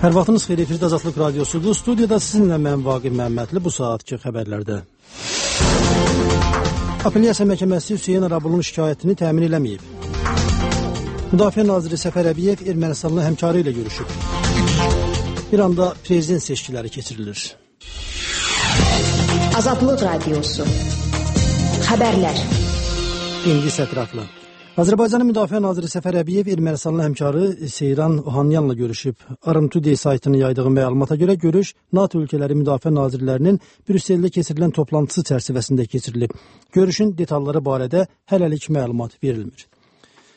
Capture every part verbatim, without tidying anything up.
Hər vaxtınız xeyir, efirdə Azadlıq Radiosudur. Studiyada sizinlə mən Vaqif Məmmədli bu saatki xəbərlərdə. Apellyasiya məhkəməsi Hüseyn Arabulun şikayətini təmin eləməyib. Müdafiə naziri Səfər Əbiyev Ermənistanlı həmkarı ilə görüşüb. İranda prezident seçkiləri keçirilir. Azadlıq Radiosu. Xəbərlər. İndi sətraflı. Azərbaycanın Müdafiə naziri Səfər Əbiyev Ermənistanlı həmkarı Seyran Ohanyanla görüşüb. Arım Today saytının yaydığı məlumata görə görüş NATO ölkələri müdafiə nazirlərinin Brüsseldə keçirilən toplantısı çərçivəsində keçirilib. Görüşün detalları barədə hələlik məlumat verilmir.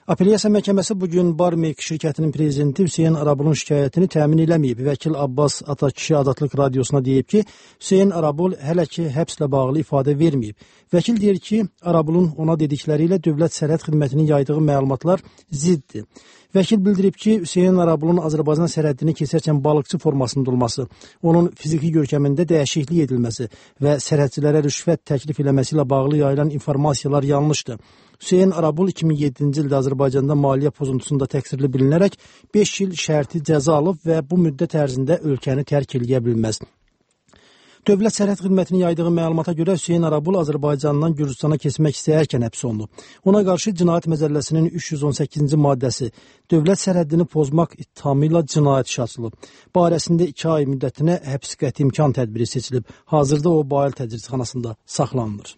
Apellyasiya məhkəməsi bugün Barmek şirkətinin prezidenti Hüseyn Arabulun şikayətini təmin eləməyib. Vəkil Abbas Atakişi Azadlıq Radiosuna deyib ki, Hüseyn Arabul hələ ki həbslə bağlı ifadə verməyib. Vəkil deyir ki, Arabulun ona dedikləri ilə Dövlət Sərhəd Xidmətinin yaydığı məlumatlar ziddir. Vəkil bildirib ki, Hüseyn Arabulun Azərbaycan sərhəddini keçərkən balıqçı formasında olması, onun fiziki görkəmində dəyişiklik edilməsi və sərhədçilərə rüşvət təklif eləməsi ilə bağlı yayılan informasiyalar yanlışdır. Hüseyn Arabul iki min yeddinci ildə Azərbaycanda maliyyə pozuntusunda təqsirli bilinərək beş il şərti cəza alıb və bu müddət ərzində ölkəni tərk eləyə bilməz. Dövlət Sərhəd Xidmətinin yaydığı məlumata görə Hüseyn Arabul Azərbaycandan Gürcüstana keçmək istəyərkən həbs olunub. Ona qarşı Cinayət Məcəlləsinin üç yüz on səkkizinci maddəsi dövlət sərhəddini pozmaq ittihamı ilə cinayət işi açılıb. Barəsində iki ay müddətinə həbs qəti imkan tədbiri seçilib. Hazırda o Bayıl təcridxanasında saxlanılır.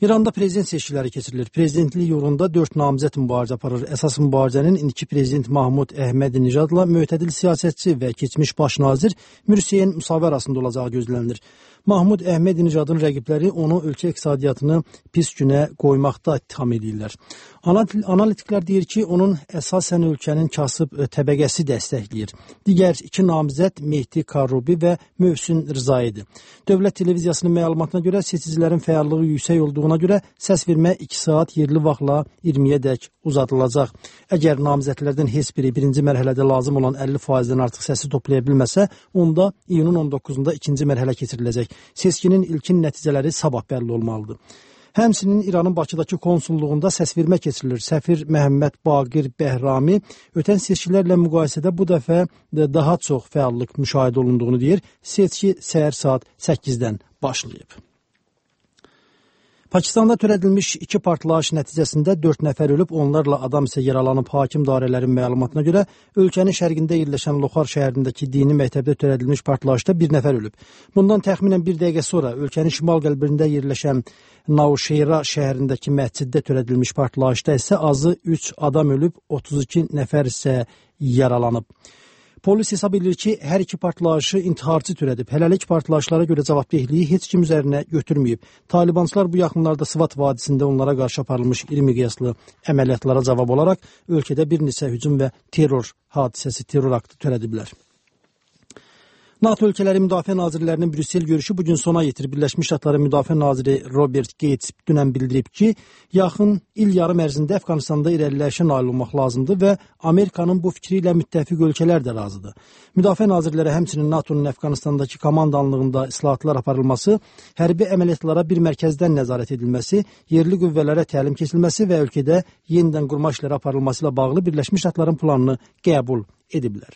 İranda prezident seçkiləri keçirilir. Prezidentlik yolunda dörd namizəd mübarizə aparır. Əsas mübarizənin indiki prezident Mahmud Əhmədinəcadla mötədil siyasətçi və keçmiş baş nazir Mürsiyen Musavi arasında olacağı gözlənilir. Mahmud Əhmədinəcadın rəqibləri onu ölkə iqtisadiyyatını pis günə qoymaqda ittiham edirlər. Analitiklər deyir ki, onun əsasən ölkənin kasıb təbəqəsi dəstəkləyir. Digər iki namizəd Mehdi Karubi və Mövsün Rızaidir. Dövlət televiziyasının məlumatına görə seçicilərin fəallığı yüksək olduğuna görə səs vermə iki saat yerli vaxtla iyirmiyə dək uzadılacaq. Əgər namizədlərdən heç biri birinci mərhələdə lazım olan əlli faizdən artıq səsi toplaya bilməsə, onda iyunun on doqquzunda ikinci mərhələ keçiriləcək. Seçkinin ilkin nəticələri sabah bəlli olmalıdır. Həmçinin İranın Bakıdakı konsulluğunda səsvermə keçirilir. Səfir Məhəmməd Baqir Bəhrami ötən seçkilərlə müqayisədə bu dəfə daha çox fəallıq müşahidə olunduğunu deyir. Seçki səhər saat səkkizdən başlayıb. Pakistanda törədilmiş iki partlayış nəticəsində dörd nəfər ölüb, onlarla adam isə yaralanıb. Hakim dairələrin məlumatına görə ölkənin şərqində yerləşən Loxar şəhərindəki dini məktəbdə törədilmiş partlayışda bir nəfər ölüb. Bundan təxminən bir dəqiqə sonra ölkənin şimal qəlbində yerləşən Navşehra şəhərindəki məsciddə törədilmiş partlayışda isə azı üç adam ölüb, otuz iki nəfər isə yaralanıb. Polis hesab edir ki, hər iki partlayışı intiharçı törədib. Hələlik partlayışlara görə cavabdehliyi heç kim üzərinə götürməyib. Talibançılar bu yaxınlarda Sıvat vadisində onlara qarşı aparılmış iri miqyaslı əməliyyatlara cavab olaraq ölkədə bir neçə hücum və terror hadisəsi, terror aktı törədiblər. NATO ölkələri müdafiə nazirlərinin Brüssel görüşü bugün sona yetir. Birləşmiş Ştatların müdafiə naziri Robert Gates dünən bildirib ki, yaxın il yarım ərzində Əfqanistanda irəliləyişə nail olmaq lazımdır və Amerikanın bu fikri ilə müttəfiq ölkələr də razıdır. Müdafiə nazirləri həmçinin NATO'nun Əfqanistandakı komandanlığında islahatlar aparılması, hərbi əməliyyatlara bir mərkəzdən nəzarət edilməsi, yerli qüvvələrə təlim keçilməsi və ölkədə yenidən qurma işləri aparılması ilə bağlı Birləşmiş Ştatların planını qəbul ediblər.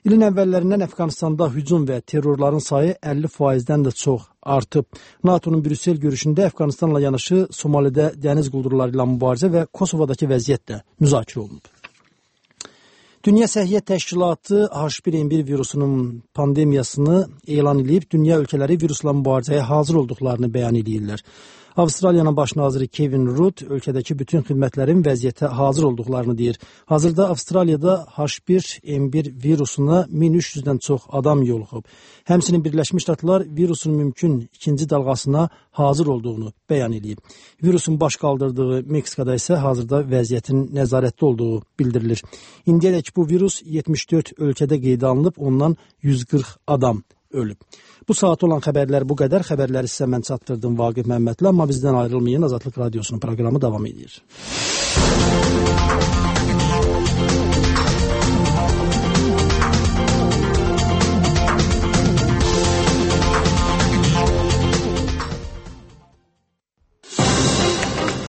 İlin əvvəllərindən Əfqanistanda hücum və terrorların sayı əlli faizdən də çox artıb. NATO'nun Brüssel görüşündə Əfqanistanla yanaşı Somalidə dəniz quldurları ilə mübarizə və Kosovadakı vəziyyət də müzakirə olunub. Dünya Səhiyyə Təşkilatı H bir N bir virusunun pandemiyasını elan edib, dünya ölkələri virusla mübarizəyə hazır olduqlarını bəyan edirlər. Avstraliyanın baş naziri Kevin Rudd ölkədəki bütün xidmətlərin vəziyyətə hazır olduqlarını deyir. Hazırda Avstraliyada H bir N bir virusuna min üç yüzdən çox adam yoluxub. Həmçinin Birləşmiş Ştatlar virusun mümkün ikinci dalğasına hazır olduğunu bəyan edib. Virusun baş qaldırdığı Meksikada isə hazırda vəziyyətin nəzarətdə olduğu bildirilir. İndiyədək bu virus yetmiş dörd ölkədə qeydə alınıb, ondan yüz qırx adam ölüb. Bu saat olan xəbərlər bu qədər. Xəbərləri sizə mən çatdırdım Vaqif Məmmədli, amma bizdən ayrılmayın. Azadlıq Radiosunun proqramı davam edir.